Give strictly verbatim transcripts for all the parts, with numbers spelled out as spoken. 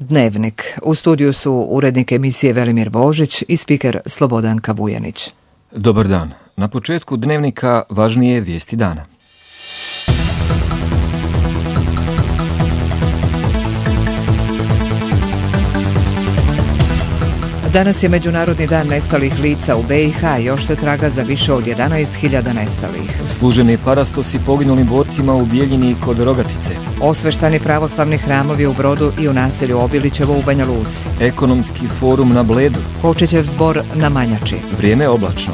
Dnevnik. U studiju su urednik emisije Velimir Božić i spiker Slobodanka Vujanić. Dobar dan. Na početku Dnevnika važnije vijesti dana. Danas je Međunarodni dan nestalih lica u be i ha, još se traga za više od jedanaest hiljada nestalih. Služeni parastosi poginulim borcima u Bijeljini kod Rogatice. Osveštani pravoslavni hramovi u Brodu i u naselju Obilićevo u Banja Luci. Ekonomski forum na Bledu. Kočićev zbor na Manjači. Vrijeme oblačno.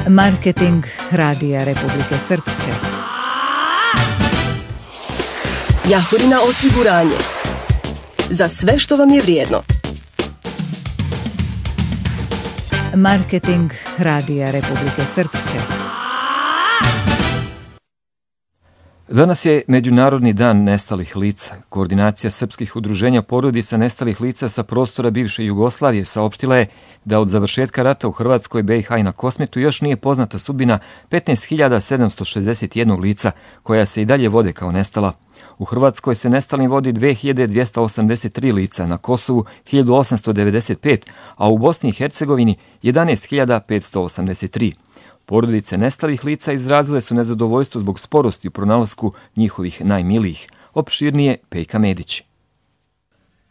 Marketing Radija Republike Srpske. Jahorina osiguranje. Za sve što vam je vrijedno. Marketing Radija Republike Srpske. Danas je Međunarodni dan nestalih lica. Koordinacija srpskih udruženja porodica nestalih lica sa prostora bivše Jugoslavije saopštila je da od završetka rata u Hrvatskoj, be i ha i na Kosmetu još nije poznata sudbina petnaest hiljada sedamsto šezdeset jedan lica koja se i dalje vode kao nestala. U Hrvatskoj se nestalim vodi dve hiljade dvjesto osamdeset tri lica, na Kosovu hiljadu osamsto devedeset pet, a u Bosni i Hercegovini jedanaest hiljada petsto osamdeset tri. Porodice nestalih lica izrazile su nezadovoljstvo zbog sporosti u pronalasku njihovih najmilijih. Opširnije Pejka Medić.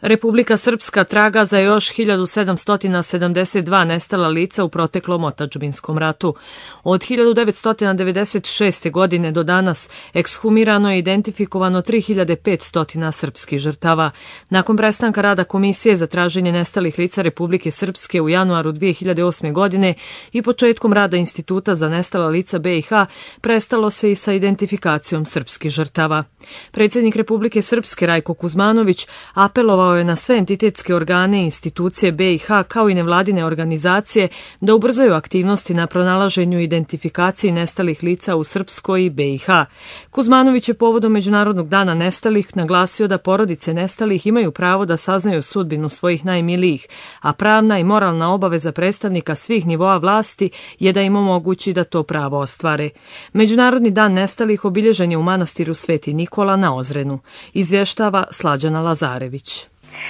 Republika Srpska traga za još hiljadu sedamsto sedamdeset dva nestala lica u proteklom otadžbinskom ratu. Od hiljadu devetsto devedeset šeste. godine do danas ekshumirano je identifikovano tri hiljade petsto srpskih žrtava. Nakon prestanka rada Komisije za traženje nestalih lica Republike Srpske u januaru dvije hiljade osme. godine i početkom rada Instituta za nestala lica be i ha, prestalo se i sa identifikacijom srpskih žrtava. Predsjednik Republike Srpske Rajko Kuzmanović apelovao je na sve entitetske organe i institucije be i ha kao i nevladine organizacije da ubrzaju aktivnosti na pronalaženju i identifikaciji nestalih lica u Srpskoj i be i ha. Kuzmanović je povodom Međunarodnog dana nestalih naglasio da porodice nestalih imaju pravo da saznaju sudbinu svojih najmilijih, a pravna i moralna obaveza predstavnika svih nivoa vlasti je da im omogući da to pravo ostvare. Međunarodni dan nestalih obilježen je u manastiru Sveti Nikola na Ozrenu, izvještava Slađana Lazarević.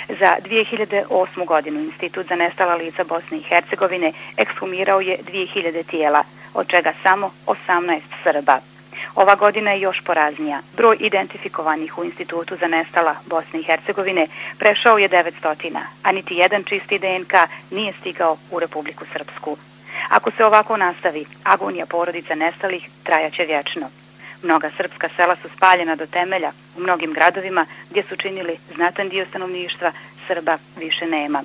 Za dvije hiljade osmu. godinu Institut za nestala lica Bosne i Hercegovine ekshumirao je dvije hiljade tijela, od čega samo osamnaest Srba. Ova godina je još poraznija. Broj identifikovanih u Institutu za nestala Bosne i Hercegovine prešao je devetsto, a niti jedan čisti de en ka nije stigao u Republiku Srpsku. Ako se ovako nastavi, agonija porodica nestalih trajaće vječno. Mnoga srpska sela su spaljena do temelja, u mnogim gradovima gdje su činili znatan dio stanovništva Srba više nema.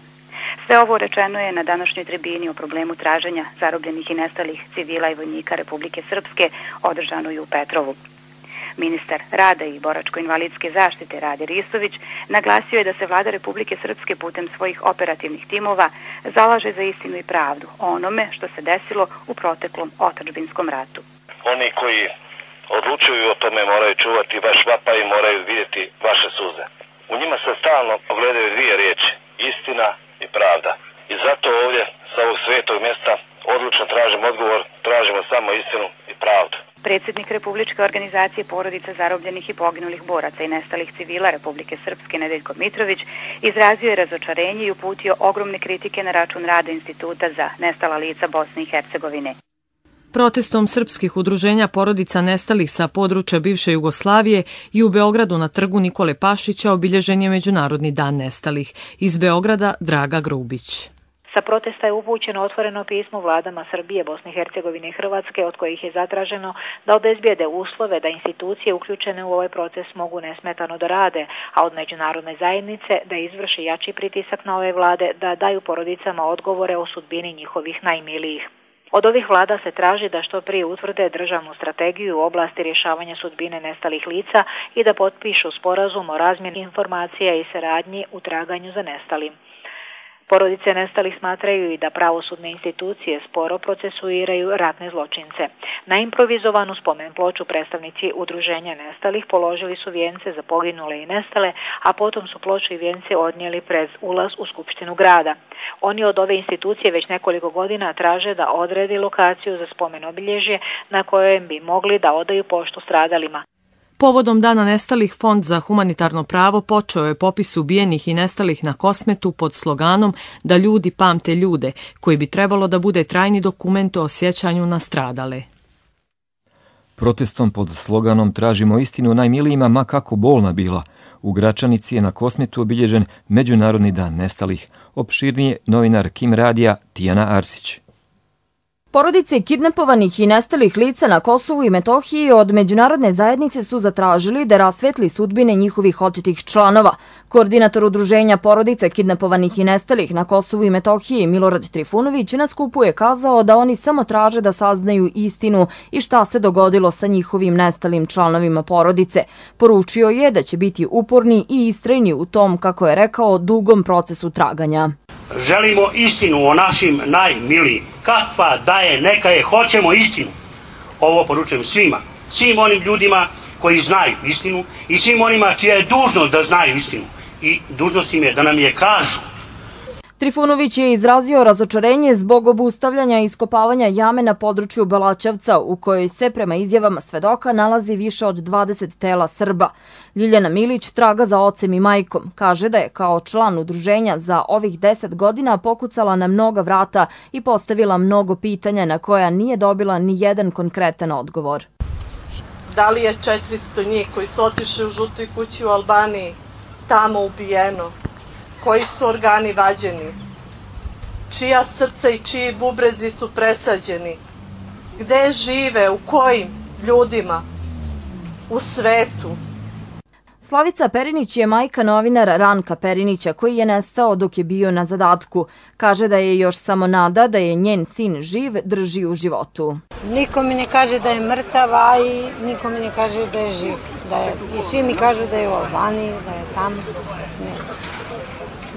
Sve ovo rečeno je na današnjoj tribini o problemu traženja zarobljenih i nestalih civila i vojnika Republike Srpske održanoj u Petrovu. Ministar rada i boračko-invalidske zaštite Rade Ristović naglasio je da se vlada Republike Srpske putem svojih operativnih timova zalaže za istinu i pravdu o onome što se desilo u proteklom otadžbinskom ratu. Oni koji odlučuju o tome moraju čuvati vaš vapaj i moraju vidjeti vaše suze. U njima se stalno ogledaju dvije riječi, istina i pravda. I zato ovdje sa ovog svetog mjesta odlučno tražimo odgovor, tražimo samo istinu i pravdu. Predsjednik Republičke organizacije porodica zarobljenih i poginulih boraca i nestalih civila Republike Srpske Nedeljko Mitrović izrazio je razočarenje i uputio ogromne kritike na račun rada Instituta za nestala lica Bosne i Hercegovine. Protestom srpskih udruženja porodica nestalih sa područja bivše Jugoslavije i u Beogradu na trgu Nikole Pašića obilježen je Međunarodni dan nestalih. Iz Beograda Draga Grubić. Sa protesta je upućeno otvoreno pismo vladama Srbije, Bosne i Hercegovine i Hrvatske, od kojih je zatraženo da obezbijede uslove da institucije uključene u ovaj proces mogu nesmetano da rade, a od međunarodne zajednice da izvrši jači pritisak na ove vlade da daju porodicama odgovore o sudbini njihovih najmilijih. Od ovih vlada se traži da što prije utvrde državnu strategiju u oblasti rješavanja sudbine nestalih lica i da potpišu sporazum o razmjeni informacija i saradnji u traganju za nestalim. Porodice nestalih smatraju i da pravosudne institucije sporo procesuiraju ratne zločince. Na improvizovanu spomen ploču predstavnici udruženja nestalih položili su vijence za poginule i nestale, a potom su ploču i vijence odnijeli pred ulaz u Skupštinu grada. Oni od ove institucije već nekoliko godina traže da odredi lokaciju za spomen obilježje na kojem bi mogli da odaju poštu stradalima. Povodom Dana nestalih, Fond za humanitarno pravo počeo je popis ubijenih i nestalih na Kosmetu pod sloganom da ljudi pamte ljude, koji bi trebalo da bude trajni dokument o sjećanju na stradale. Protestom pod sloganom Tražimo istinu najmilijima, ma kako bolna bila, u Gračanici je na Kosmetu obilježen Međunarodni dan nestalih. Opširnije novinar Kim Radija Tijana Arsić. Porodice kidnapovanih i nestalih lica na Kosovu i Metohiji od međunarodne zajednice su zatražili da rasvetli sudbine njihovih otetih članova. Koordinator udruženja porodica kidnapovanih i nestalih na Kosovu i Metohiji Milorad Trifunović na skupu je kazao da oni samo traže da saznaju istinu i šta se dogodilo sa njihovim nestalim članovima porodice. Poručio je da će biti uporni i istrajni u tom, kako je rekao, dugom procesu traganja. Želimo istinu o našim najmilijim. Kakva da je, neka je, hoćemo istinu. Ovo poručujem svima, svim onim ljudima koji znaju istinu i svim onima čija je dužnost da znaju istinu. I dužnost im je da nam je kažu. Trifunović je izrazio razočarenje zbog obustavljanja iskopavanja jame na području Belačevca, u kojoj se, prema izjavama svedoka, nalazi više od dvadeset tela Srba. Ljiljana Milić traga za ocem i majkom. Kaže da je kao član udruženja za ovih deset godina pokucala na mnoga vrata i postavila mnogo pitanja na koja nije dobila ni jedan konkretan odgovor. Da li je četiristo njih koji su otišli u žutoj kući u Albaniji tamo ubijeno? Koji su organi vađeni? Čija srca i čiji bubrezi su presađeni? Gde žive? U kojim ljudima? U svetu? Slavica Perinić je majka novinara Ranka Perinića, koji je nestao dok je bio na zadatku. Kaže da je još samo nada da je njen sin živ, drži u životu. Niko mi ne kaže da je mrtav, a i niko mi ne kaže da je živ. Da je, i svi mi kažu da je u Albaniji, da je tamo. Ne znam.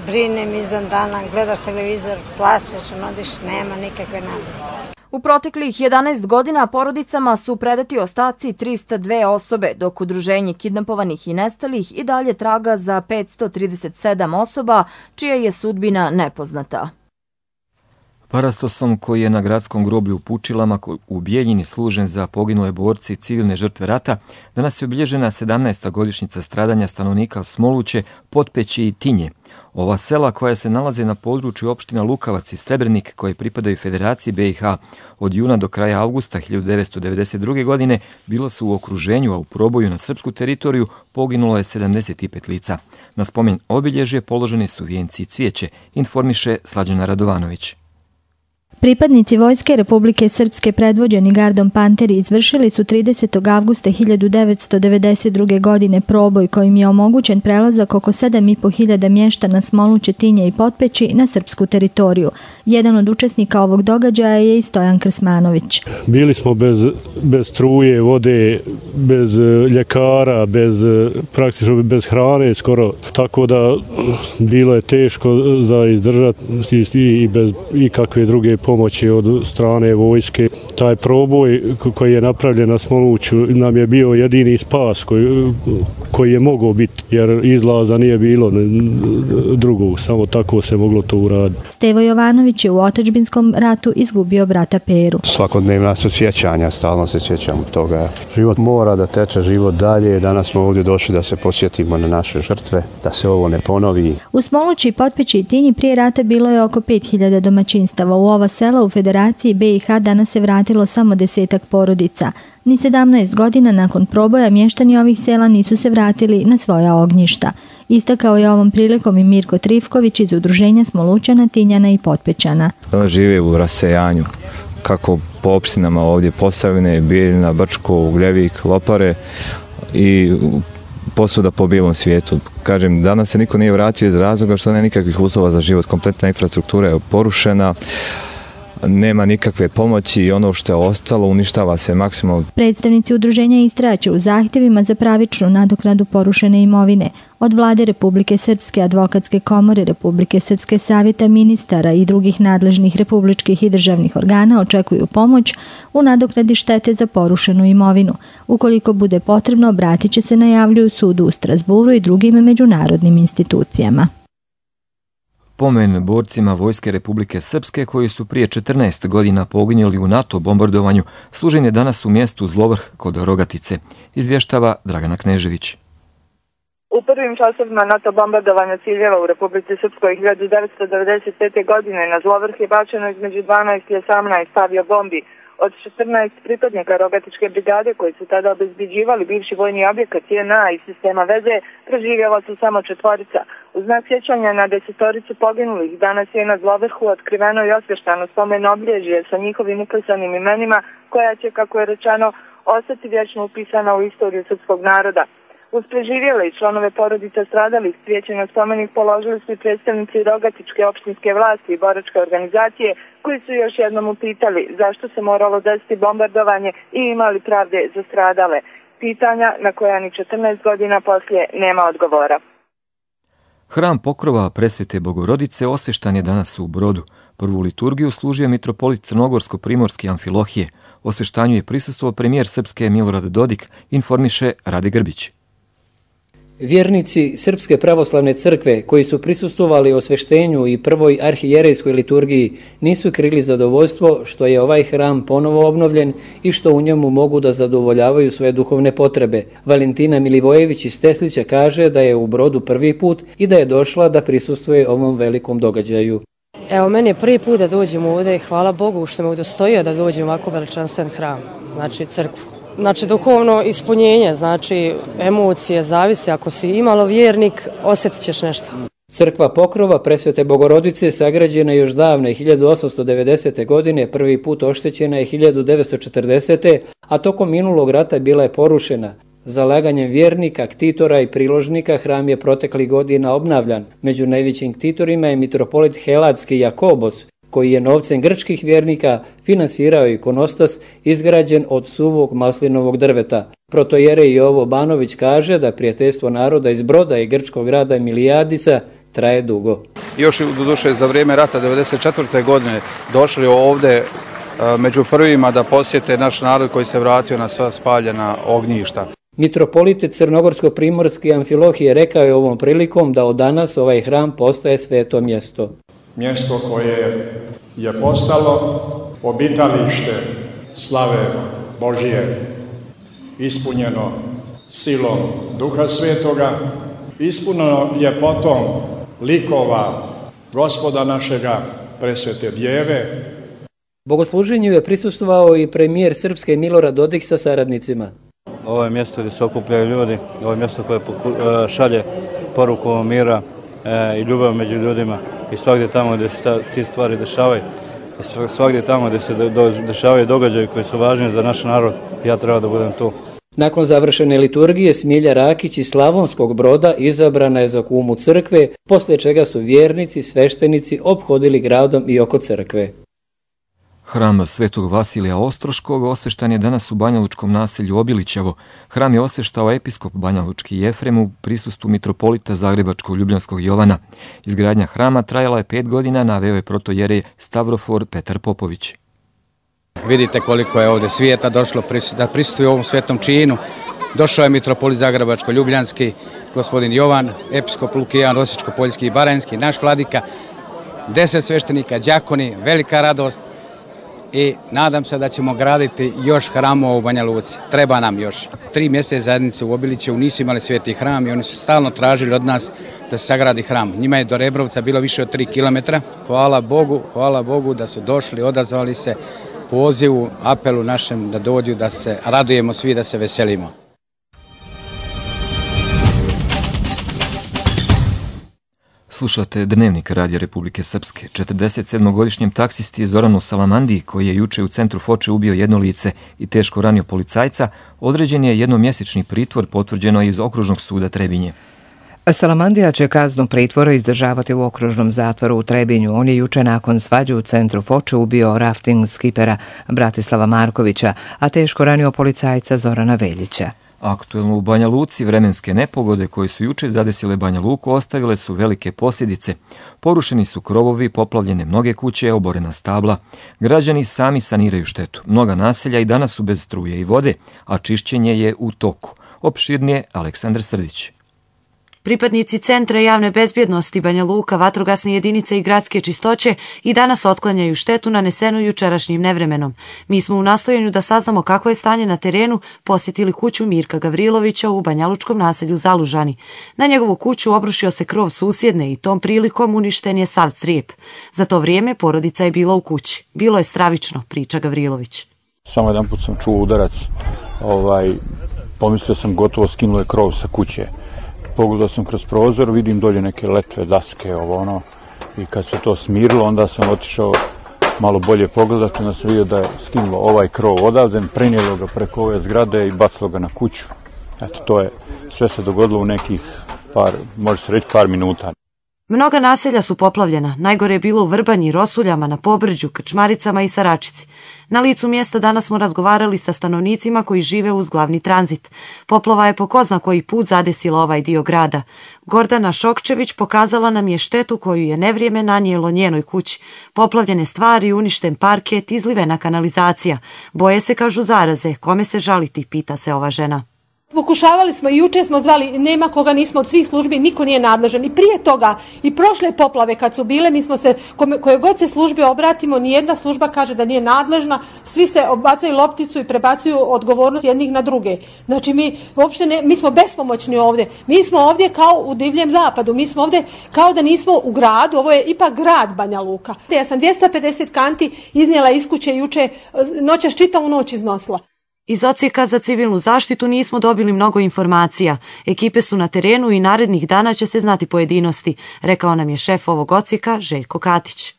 Brinem izdan dana, gledaš televizor, plaćaš, onodiš, nema nikakve nade. U proteklih jedanaest godina porodicama su predati ostaci trista dve osobe, dok udruženje kidnapovanih i nestalih i dalje traga za petsto trideset sedam osoba, čija je sudbina nepoznata. Parastosom koji je na gradskom groblju u Pučilama u Bijeljini služen za poginule borci i civilne žrtve rata, danas je obilježena sedamnaesta godišnjica stradanja stanovnika Smoluće, Potpeći i Tinje. Ova sela koja se nalaze na području opština Lukavac i Srebrenik, koje pripadaju Federaciji be i ha, od juna do kraja avgusta hiljadu devetsto devedeset druge. godine bilo su u okruženju, a u proboju na srpsku teritoriju poginulo je sedamdeset pet lica. Na spomen obilježje položeni su vijenci i cvijeće, informiše Slađana Radovanović. Pripadnici Vojske Republike Srpske predvođeni gardom Panteri izvršili su tridesetog avgusta hiljadu devetsto devedeset druge. godine proboj kojim je omogućen prelazak oko sedam i po hiljada mještana Smoluće, Tinje i Potpeći na srpsku teritoriju. Jedan od učesnika ovog događaja je i Stojan Krsmanović. Bili smo bez, bez struje, vode, bez ljekara, bez, praktično bez hrane skoro, tako da bilo je teško za izdržati i bez ikakve druge pomoći. pomoći od strane vojske. Taj proboj koji je napravljen na Smoluću nam je bio jedini spas koji, koji je mogao biti, jer izlaza nije bilo drugog, samo tako se moglo to uraditi. Stevo Jovanović je u otadžbinskom ratu izgubio brata Peru. Svakodnevna su sjećanja, stalno se sjećamo toga. Život mora da teče, život dalje. Danas smo ovdje došli da se podsjetimo na naše žrtve, da se ovo ne ponovi. U Smolući, Potpeći i Tinji prije rata bilo je oko pet hiljada domaćinstava. U ova sela u Federaciji be i ha danas se vratilo samo desetak porodica. Ni sedamnaest godina nakon proboja mještani ovih sela nisu se vratili na svoja ognjišta. Istakao je ovom prilikom i Mirko Trifković iz udruženja Smolućana, Tinjana i Potpećana. Žive u rasejanju, kako po opštinama ovdje Posavine, Bijeljina, Brčko, Ugljevik, Lopare i posvuda po bijelom svijetu. Kažem, danas se niko nije vratio iz razloga što nema nikakvih uslova za život. Kompletna infrastruktura je porušena, nema nikakve pomoći i ono što je ostalo uništava se maksimalno. Predstavnici udruženja istraće u zahtjevima za pravičnu nadoknadu porušene imovine. Od Vlade Republike Srpske, Advokatske komore Republike Srpske, Savjeta ministara i drugih nadležnih republičkih i državnih organa očekuju pomoć u nadoknadi štete za porušenu imovinu. Ukoliko bude potrebno, obratit će se, najavljuju sudu u Strasburu i drugim međunarodnim institucijama. Pomen borcima Vojske Republike Srpske koji su prije četrnaest godina poginuli u NATO bombardovanju služen je danas u mjestu Zlovrh kod Rogatice, izvještava Dragana Knežević. U prvim časovima NATO bombardovanja ciljeva u Republici Srpskoj hiljadu devetsto devedeset pete. godine na Zlovrh je bačeno između dvanaest i osamnaest aviobombi. Od četrnaest pripadnika Rogatičke brigade koji su tada obezbeđivali bivši vojni objekat J N A i sistema veze, preživjela su samo četvorica. U znak sjećanja na desetoricu poginulih danas je na Zlovrhu otkriveno i osvještano spomen obilježje sa njihovim uklesanim imenima koja će, kako je rečeno, ostati vječno upisana u istoriju srpskog naroda. Uz preživjele i članove porodica stradalih cvijeće na spomenik položili su i predstavnici Rogatičke opštinske vlasti i boračke organizacije koji su još jednom upitali zašto se moralo desiti bombardovanje i imali pravde za stradale. Pitanja na koja ni četrnaest godina poslije nema odgovora. Hram Pokrova Presvete Bogorodice osvještan je danas u Brodu. Prvu liturgiju služio mitropolit Crnogorsko-Primorski Amfilohije. Osvještanju je prisustvovao premijer Srpske Milorad Dodik, informiše Rade Grbić. Vjernici Srpske pravoslavne crkve koji su prisustvovali osveštenju i prvoj arhijerejskoj liturgiji nisu krili zadovoljstvo što je ovaj hram ponovo obnovljen i što u njemu mogu da zadovoljavaju svoje duhovne potrebe. Valentina Milivojević iz Teslića kaže da je u Brodu prvi put i da je došla da prisustvuje ovom velikom događaju. Evo, meni je prvi put da dođem ovdje i hvala Bogu što me udostojio da dođem u ovako veličanstven hram, znači crkvu. Znači duhovno ispunjenje, znači emocije, zavisi, ako si imalo vjernik, osjetit ćeš nešto. Crkva Pokrova Presvete Bogorodice sagrađena je još davne hiljadu osamsto devedesete. godine, prvi put oštećena je hiljadu devetsto četrdesete. a tokom minulog rata bila je porušena. Zalaganjem vjernika, ktitora i priložnika hram je proteklih godina obnavljan. Među najvećim ktitorima je mitropolit Heladski Jakobos, koji je novcem grčkih vjernika finansirao ikonostas izgrađen od suvog maslinovog drveta. Protojerej Jovo Banović kaže da prijateljstvo naroda iz Broda i grčkog grada Milijadisa traje dugo. Još do duše za vrijeme rata devedeset četvrte. godine došli ovdje među prvima da posjete naš narod koji se vratio na sva spaljena ognjišta. Mitropolit Crnogorsko-Primorski Amfilohije rekao je ovom prilikom da od danas ovaj hram postaje sveto mjesto. Mjesto koje je postalo obitalište slave Božije, ispunjeno silom Duha Svetoga, ispunjeno ljepotom likova Gospoda našega, Presvete Djeve. Bogosluženju je prisustvovao i premijer Srpske Milorad Dodik sa saradnicima. Ovo je mjesto gdje se okupljaju ljudi, ovo je mjesto koje šalje poruku mira i ljubav među ljudima. I svakdje tamo gdje se ti stvari dešavaju, i svakdje tamo gdje se dešavaju događaji koji su važni za naš narod, ja treba da budem tu. Nakon završene liturgije Smilja Rakić iz Slavonskog Broda izabrana je za kumu crkve, poslije čega su vjernici, sveštenici ophodili gradom i oko crkve. Hram Svetog Vasilija Ostroškog osveštan je danas u banjalučkom naselju Obilićevo. Hram je osveštao episkop banjalučki Jefrem u prisustvu mitropolita Zagrebačkog Ljubljanskog Jovana. Izgradnja hrama trajala je pet godina, naveo je protojerej Stavrofor Petar Popović. Vidite koliko je ovdje svijeta došlo da prisustuje ovom svetom činu. Došao je mitropolit Zagrebačko-Ljubljanski, gospodin Jovan, episkop Lukijan, Osječko-Poljski i Baranjski, naš vladika, deset sveštenika, đakoni, velika radost. I nadam se da ćemo graditi još hramova u Banja Luci. Treba nam još. Tri mjesece zajednice u Obilićevu nisu imali sveti hram i oni su stalno tražili od nas da se sagradi hram. Njima je do Rebrovca bilo više od tri kilometra. Hvala Bogu, hvala Bogu da su došli, odazvali se pozivu, apelu našem da dođu, da se radujemo svi, da se veselimo. Slušate Dnevnik Radija Republike Srpske. četrdeset sedmogodišnjem taksisti Zoranu Salamandiji, koji je juče u centru Foče ubio jedno lice i teško ranio policajca, određen je jednomjesečni pritvor, potvrđeno iz Okružnog suda Trebinje. Salamandija će kaznu pritvora izdržavati u okružnom zatvoru u Trebinju. On je juče nakon svađe u centru Foče ubio rafting skipera Bratislava Markovića, a teško ranio policajca Zorana Veljića. Aktuelno u Banja Luci vremenske nepogode koje su juče zadesile Banja Luku ostavile su velike posljedice. Porušeni su krovovi, poplavljene mnoge kuće, oborena stabla. Građani sami saniraju štetu. Mnoga naselja i danas su bez struje i vode, a čišćenje je u toku. Opširnije Aleksandar Srdić. Pripadnici Centra javne bezbjednosti Banja Luka, vatrogasne jedinice i gradske čistoće i danas otklanjaju štetu nanesenu jučerašnjim nevremenom. Mi smo u nastojanju da saznamo kako je stanje na terenu posjetili kuću Mirka Gavrilovića u banjalučkom naselju Zalužani. Na njegovu kuću obrušio se krov susjedne i tom prilikom uništen je sav crijep. Za to vrijeme porodica je bila u kući. Bilo je stravično, priča Gavrilović. Samo jedan put sam čuo udarac, ovaj, pomislio sam gotovo skinulo je krov sa kuće. Pogledao sam kroz prozor, vidim dolje neke letve, daske, ovo ono, i kad se to smirilo, onda sam otišao malo bolje pogledati, onda sam vidio da je skinulo ovaj krov odavde, prenijelo ga preko ove zgrade i bacilo ga na kuću. Eto, to je, sve se dogodilo u nekih par, može se reći par minuta. Mnoga naselja su poplavljena, najgore je bilo u Vrbanji, Rosuljama, na Pobrđu, Krčmaricama i Saračici. Na licu mjesta danas smo razgovarali sa stanovnicima koji žive uz glavni tranzit. Poplava je po ko zna koji put zadesila ovaj dio grada. Gordana Šokčević pokazala nam je štetu koju je nevrijeme nanijelo njenoj kući. Poplavljene stvari, uništen parket, izlivena kanalizacija. Boje se, kažu, zaraze. Kome se žaliti, pita se ova žena. Pokušavali smo i juče smo zvali, nema koga nismo od svih službi, niko nije nadležan. I prije toga, i prošle poplave kad su bile, mi smo se, koje god se službe obratimo, nijedna služba kaže da nije nadležna, svi se bacaju lopticu i prebacuju odgovornost jednih na druge. Znači mi uopšte ne, mi smo bespomoćni ovdje. Mi smo ovdje kao u divljem zapadu, mi smo ovdje kao da nismo u gradu, ovo je ipak grad Banja Luka. Ja sam dvjesto pedeset kanti iznijela iz kuće juče, noćas čitavu noć iznosila. Iz Odsjeka za civilnu zaštitu nismo dobili mnogo informacija. Ekipe su na terenu i narednih dana će se znati pojedinosti, rekao nam je šef ovog Odsjeka Željko Katić.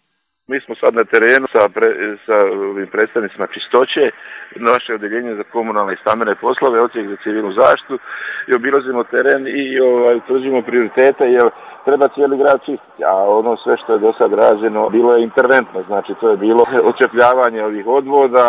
Mi smo sad na terenu sa, pre, sa predstavnicima čistoće, naše odeljenje za komunalne i stambene poslove, Odsjek za civilnu zaštitu, i obilazimo teren i ovaj, utvrđujemo prioritete, jer treba cijeli grad čistiti, a ono sve što je do sad rađeno bilo je interventno, znači to je bilo očepljavanje ovih odvoda,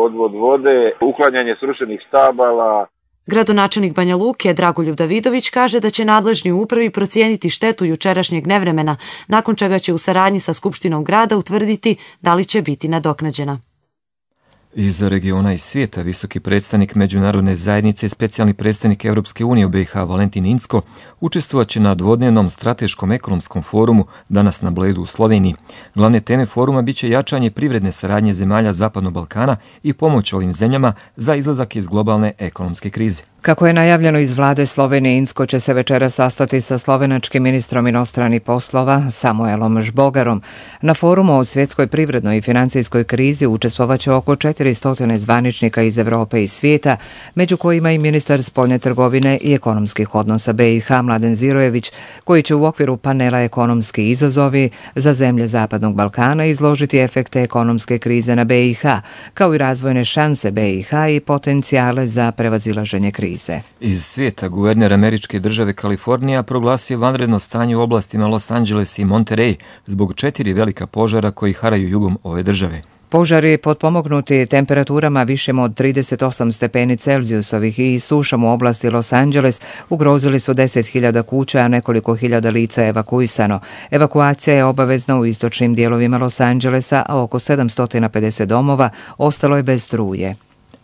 odvod vode, uklanjanje srušenih stabala. Gradonačelnik Banja Luke Dragoljub Davidović kaže da će nadležni u upravi procijeniti štetu jučerašnjeg nevremena, nakon čega će u saradnji sa Skupštinom grada utvrditi da li će biti nadoknađena. Iz regiona i svijeta visoki predstavnik Međunarodne zajednice i specijalni predstavnik Europske unije u B i H Valentin Incko učestvovat će na dvodnevnom strateškom ekonomskom forumu danas na Bledu u Sloveniji. Glavne teme foruma biće jačanje privredne saradnje zemalja Zapadnog Balkana i pomoć ovim zemljama za izlazak iz globalne ekonomske krize. Kako je najavljeno iz vlade Slovenije, Incko će se večera sastati sa slovenačkim ministrom inostranih poslova Samuelom Žbogarom. Na forumu o svjetskoj privrednoj i financijskoj krizi učestvovaće oko četiristo zvaničnika iz Evrope i svijeta, među kojima i ministar spoljne trgovine i ekonomskih odnosa B i H Mladen Zirojević, koji će u okviru panela Ekonomski izazovi za zemlje Zapadnog Balkana izložiti efekte ekonomske krize na B i H, kao i razvojne šanse B i H i potencijale za prevazilaženje krize. Iz svijeta guverner američke države Kalifornija proglasio vanredno stanje u oblastima Los Angeles i Monterey zbog četiri velika požara koji haraju jugom ove države. Požari potpomognuti temperaturama višim od trideset osam stepeni Celzijusovih i sušom u oblasti Los Angeles ugrozili su deset hiljada kuća, a nekoliko hiljada lica je evakuisano. Evakuacija je obavezna u istočnim dijelovima Los Angelesa, a oko sedamsto pedeset domova ostalo je bez struje.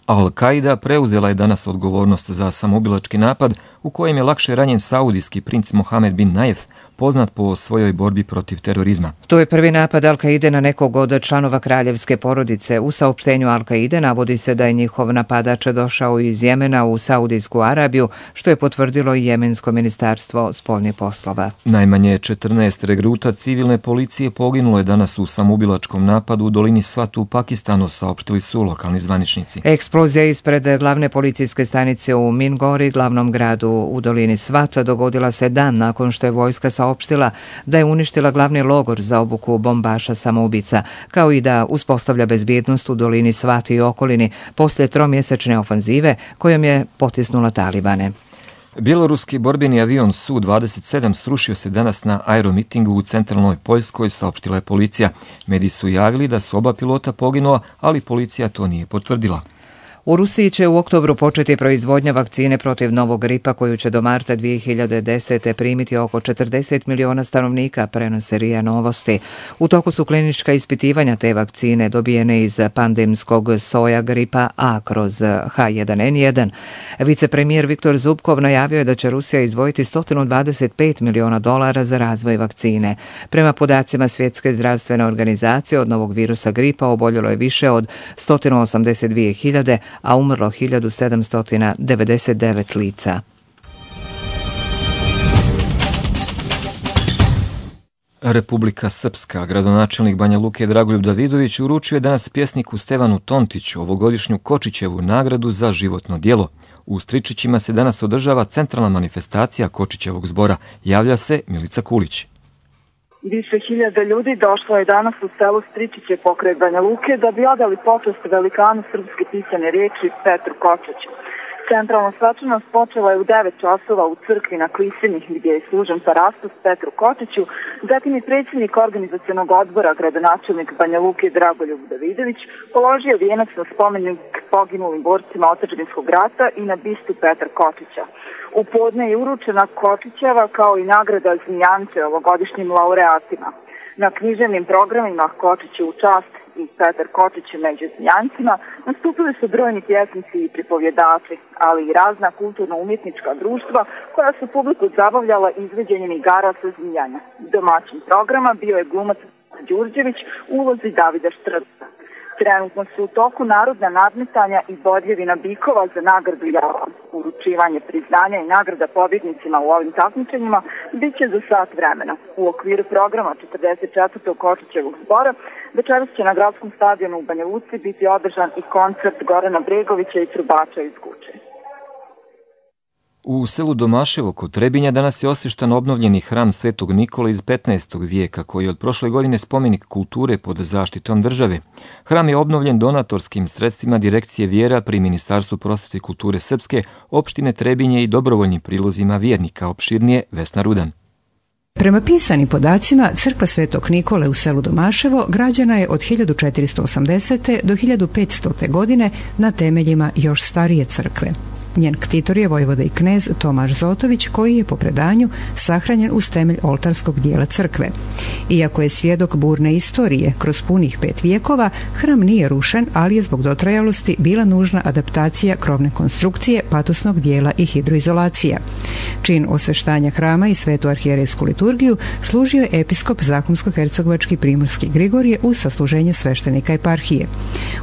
Al-Qaida preuzela je danas odgovornost za samoubilački napad u kojem je lakše ranjen saudijski princ Mohamed bin Nayef, poznat po svojoj borbi protiv terorizma. To je prvi napad Al-Qaide na nekog od članova kraljevske porodice. U saopštenju Al-Qaide navodi se da je njihov napadač došao iz Jemena u Saudijsku Arabiju, što je potvrdilo i Jemensko ministarstvo spoljnih poslova. Najmanje četrnaest regruta civilne policije poginulo je danas u samoubilačkom napadu u dolini Swat u Pakistanu, saopštili su lokalni zvaničnici. Eksplozija ispred glavne policijske stanice u Mingori, glavnom gradu u dolini Swat, dogodila se dan nakon što je vojska saopštila da je uništila glavni logor za obuku bombaša samoubica, kao i da uspostavlja bezbjednost u dolini Swat i okolini poslije tromjesečne ofanzive kojom je potisnula Talibane. Bjeloruski borbeni avion S U dvadeset sedam srušio se danas na aeromitingu u centralnoj Poljskoj, saopštila je policija. Mediji su javili da su oba pilota poginula, ali policija to nije potvrdila. U Rusiji će u oktobru početi proizvodnja vakcine protiv novog gripa koju će do marta dvije hiljade desete primiti oko četrdeset miliona stanovnika, prenose R I A Novosti. U toku su klinička ispitivanja te vakcine dobijene iz pandemskog soja gripa A kroz H jedan N jedan. Vicepremijer Viktor Zubkov najavio je da će Rusija izdvojiti sto dvadeset pet miliona dolara za razvoj vakcine. Prema podacima Svjetske zdravstvene organizacije od novog virusa gripa oboljelo je više od sto osamdeset dvije hiljade, a umrlo hiljadu sedamsto devedeset devet lica. Republika Srpska, gradonačelnik Banja Luke Dragoljub Davidović uručio je danas pjesniku Stevanu Tontiću ovogodišnju Kočićevu nagradu za životno djelo. U Stričićima se danas održava centralna manifestacija Kočićevog zbora. Javlja se Milica Kulić. Više hiljada ljudi došlo je danas u selu Stričiće pokraj Banja Luke da bi odali počast velikanu srpske pisane riječi Petru Kočiću. Centralna svečanost počela je u devet časova u crkvi na Klisenih gdje je služen parastos Petru Kočiću, zatim je predsjednik organizacionog odbora, gradonačelnik Banja Luke Dragoljub Davidović, položio vijenac na spomenik poginulim borcima otadžbinskog rata i na bistu Petra Kočića. U podne je uručena Kočićeva kao i nagrada Zmijance ovogodišnjim laureatima. Na književnim programima Kočiću u čast i Petar Kočić među Zmijancima nastupili su brojni pjesnici i pripovjedači, ali i razna kulturno-umjetnička društva koja su publiku zabavljala izveđenjem igara sa zmijanja. Domaćin programa bio je glumac Đurđević u ulozi Davida Štrca. Trenutno su u toku narodna nadmetanja i bodljevina bikova za nagradu Javan. Uručivanje priznanja i nagrada pobjednicima u ovim takmičenjima bit će za sat vremena. U okviru programa četrdeset četvrtog Kočićevog zbora večeras će na gradskom stadionu u Banja Luci biti održan i koncert Gorana Bregovića i trubača iz Guče. U selu Domaševo kod Trebinja danas je osvještan obnovljeni hram Svetog Nikole iz petnaestog vijeka, koji je od prošle godine spomenik kulture pod zaštitom države. Hram je obnovljen donatorskim sredstvima Direkcije vjera pri Ministarstvu prosvjete i kulture Srpske, opštine Trebinje i dobrovoljnim prilozima vjernika, opširnije Vesna Rudan. Prema pisanim podacima, crkva Svetog Nikole u selu Domaševo građana je od hiljadu četiristo osamdesete. do hiljadu petstote. godine na temeljima još starije crkve. Njen ktitor je vojvoda i knez Tomaš Zotović, koji je po predanju sahranjen uz temelj oltarskog dijela crkve. Iako je svjedok burne istorije kroz punih pet vijekova, hram nije rušen, ali je zbog dotrajalosti bila nužna adaptacija krovne konstrukcije, patosnog dijela i hidroizolacija. Čin osveštanja hrama i svetu arhijerejsku liturgiju služio je episkop Zakonsko-hercegovački Primorski Grigorije uz sasluženje sveštenika eparhije.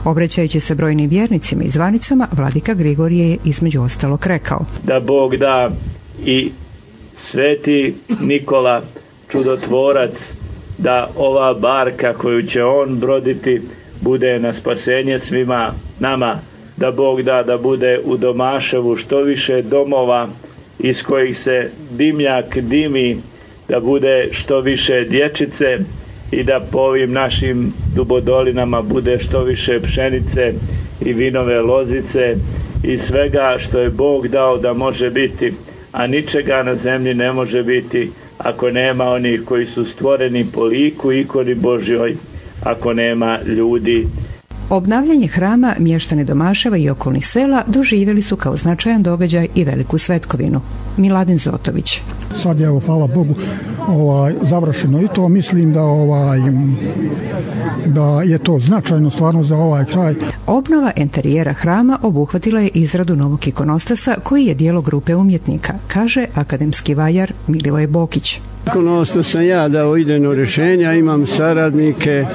Obraćajući se brojnim vjernicima i zvanicama, vladika Grigorije je između ostalog rekao: Da Bog da i sveti Nikola, čudotvorac, da ova barka koju će on broditi bude na spasenje svima nama. Da Bog da da bude u Domaševu što više domova iz kojih se dimnjak dimi, da bude što više dječice i da po ovim našim dubodolinama bude što više pšenice i vinove lozice i svega što je Bog dao da može biti, a ničega na zemlji ne može biti ako nema onih koji su stvoreni po liku i ikoni Božjoj, ako nema ljudi. Obnavljanje hrama mještani Domaševa i okolnih sela doživjeli su kao značajan događaj i veliku svetkovinu. Miladin Zotović. Sad je, evo, hvala Bogu, ovaj, završeno i to. Mislim da, ovaj, da je to značajno stvarno za ovaj kraj. Obnova enterijera hrama obuhvatila je izradu novog ikonostasa koji je dijelo grupe umjetnika, kaže akademski vajar Milivoje Bokić. Ikonostas sam ja dao idejno rješenja, imam saradnike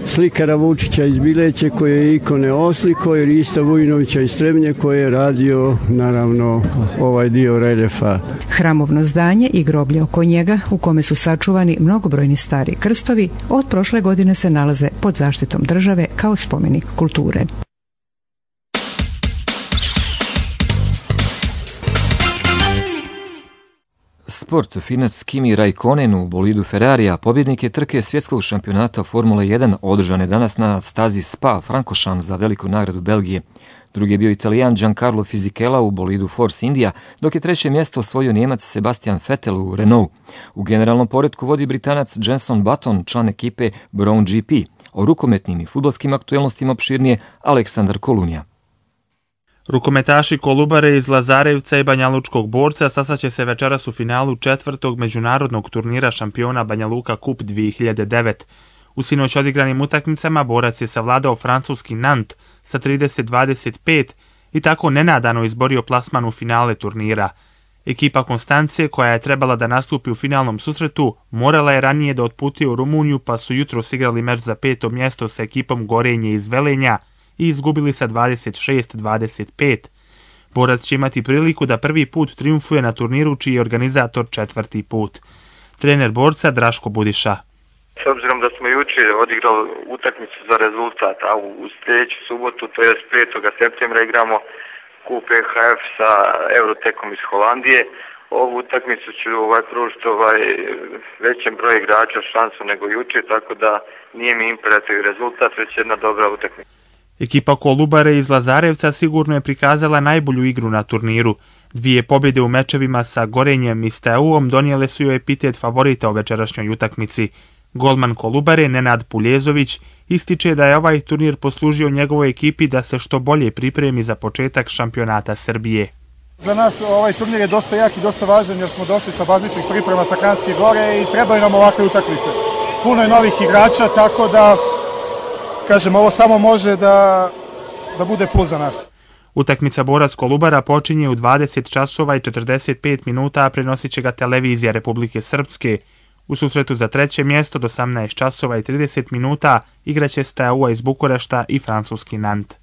slikara Vučića iz Bileće koji je ikone osliko i Rista Vujnovića iz Trebnje koji je radio naravno ovaj dio reljefa. Hramovno zdanje i groblje oko njega u kome su sačuvani mnogobrojni stari krstovi od prošle godine se nalaze pod zaštitom države kao spomenik kulture. Sport. Finac Kimi Raikkonen u bolidu Ferrarija, pobjednik je trke svjetskog šampionata Formule jedan, održane danas na stazi Spa-Francorchamps za veliku nagradu Belgije. Drugi je bio Italijan Giancarlo Fisichella u bolidu Force India, dok je treće mjesto osvojio Njemac Sebastian Vettel u Renault. U generalnom poretku vodi Britanac Jenson Button, član ekipe Brown G P. O rukometnim i fudbalskim aktuelnostima opširnije Aleksandar Kolunija. Rukometaši Kolubare iz Lazarevca i Banjalučkog Borca sastaće se večeras u finalu četvrtog međunarodnog turnira šampiona Banja Luka Kup dvije hiljade devet. U sinoć odigranim utakmicama Borac je savladao francuski Nant sa trideset dvadeset pet i tako nenadano izborio plasman u finale turnira. Ekipa Konstancije, koja je trebala da nastupi u finalnom susretu, morala je ranije da otputuje u Rumuniju, pa su jutros igrali meč za peto mjesto sa ekipom Gorenje iz Velenja i izgubili sa dvadeset šest dvadeset pet. Borac će imati priliku da prvi put triumfuje na turniru čiji je organizator četvrti put. Trener Borca Draško Budiša. S obzirom da smo jučer odigrali utakmicu za rezultat, a u sljedeću subotu, to je petog septembra, igramo Kup E H F sa Eurotekom iz Holandije. Ovu utakmicu ću ovaj, pružiti ovaj, većem broj igrača šansu nego jučer, tako da nije mi imperativ rezultat, već jedna dobra utakmica. Ekipa Kolubare iz Lazarevca sigurno je prikazala najbolju igru na turniru. Dvije pobjede u mečevima sa Gorenjem i Steaua donijele su joj epitet favorita u večerašnjoj utakmici. Golman Kolubare Nenad Puljezović ističe da je ovaj turnir poslužio njegovoj ekipi da se što bolje pripremi za početak šampionata Srbije. Za nas ovaj turnir je dosta jak i dosta važan jer smo došli sa bazičnih priprema sa Kranjske Gore i trebaju nam ovakve utakmice. Puno je novih igrača, tako da kažem, ovo samo može da, da bude plus za nas. Utakmica Borac Kolubara počinje u dvadeset časova i četrdeset pet minuta, a prenosit će ga televizija Republike Srpske. U susretu za treće mjesto do osamnaest časova i trideset minuta igraće Steaua iz Bukurešta i francuski Nant.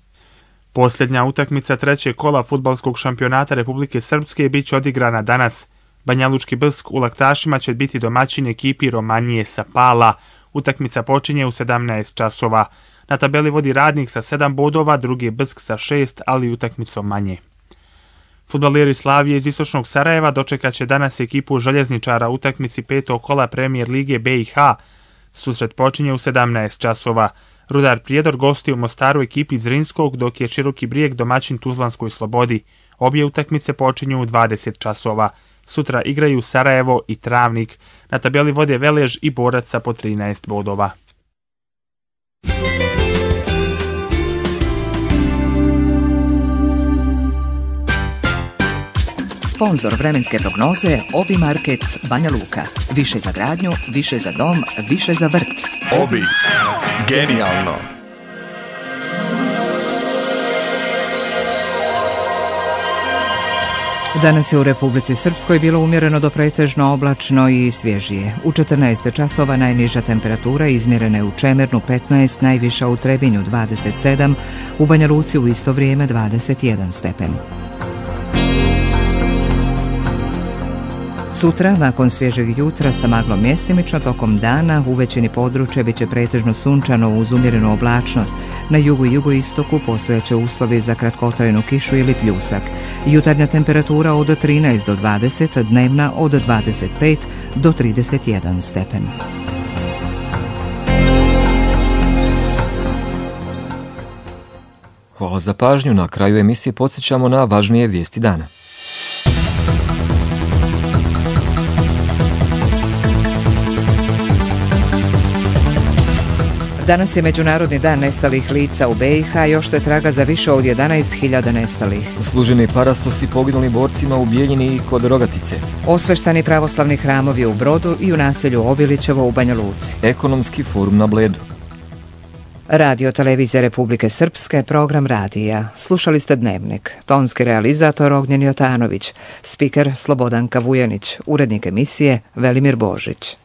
Posljednja utakmica trećeg kola fudbalskog šampionata Republike Srpske bit će odigrana danas. Banjalučki Brsk u Laktašima će biti domaćin ekipi Romanije sa Pala. Utakmica počinje u sedamnaest časova. Na tabeli vodi Radnik sa sedam bodova, drugi je Brsk sa šest, ali utakmicom manje. Fudbaleri Slavije iz istočnog Sarajeva dočekat će danas ekipu Željezničara u utakmici petog kola Premijer lige B i H. Susret počinje u sedamnaest časova. Rudar Prijedor gosti u Mostaru ekipi Zrinskog, dok je Široki Brijeg domaćin Tuzlanskoj Slobodi. Obje utakmice počinju u dvadeset časova. Sutra igraju Sarajevo i Travnik. Na tabeli vode Velež i Borac sa po trinaest bodova. Sponzor vremenske prognoze Obi Market Banja Luka. Više za gradnju, više za dom, više za vrt. Obi. Genijalno. Danas je u Republici Srpskoj bilo umjereno do pretežno oblačno i svježije. U četrnaest časova najniža temperatura izmjerena je u Čemernu petnaest, najviša u Trebinju dvadeset sedam, u Banja Luci u isto vrijeme dvadeset jedan stepen. Sutra, nakon svježeg jutra sa maglom mjestimično, tokom dana u većini područja bit će pretežno sunčano uz umjerenu oblačnost. Na jugu i jugoistoku postojaće uslovi za kratkotrajnu kišu ili pljusak. Jutarnja temperatura od trinaest do dvadeset, dnevna od dvadeset pet do trideset jedan stepen. Hvala za pažnju. Na kraju emisije podsjećamo na važnije vijesti dana. Danas je Međunarodni dan nestalih lica u B i H, još se traga za više od jedanaest hiljada nestalih. Služeni parastosi poginuli borcima u Bijeljini i kod Rogatice. Osveštani pravoslavni hramovi u Brodu i u naselju Obilićevo u Banja Luci. Ekonomski forum na Bledu. Radio televizija Republike Srpske, program radija. Slušali ste Dnevnik. Tonski realizator Ognjen Jotanović. Spiker Slobodanka Vujanić. Urednik emisije Velimir Božić.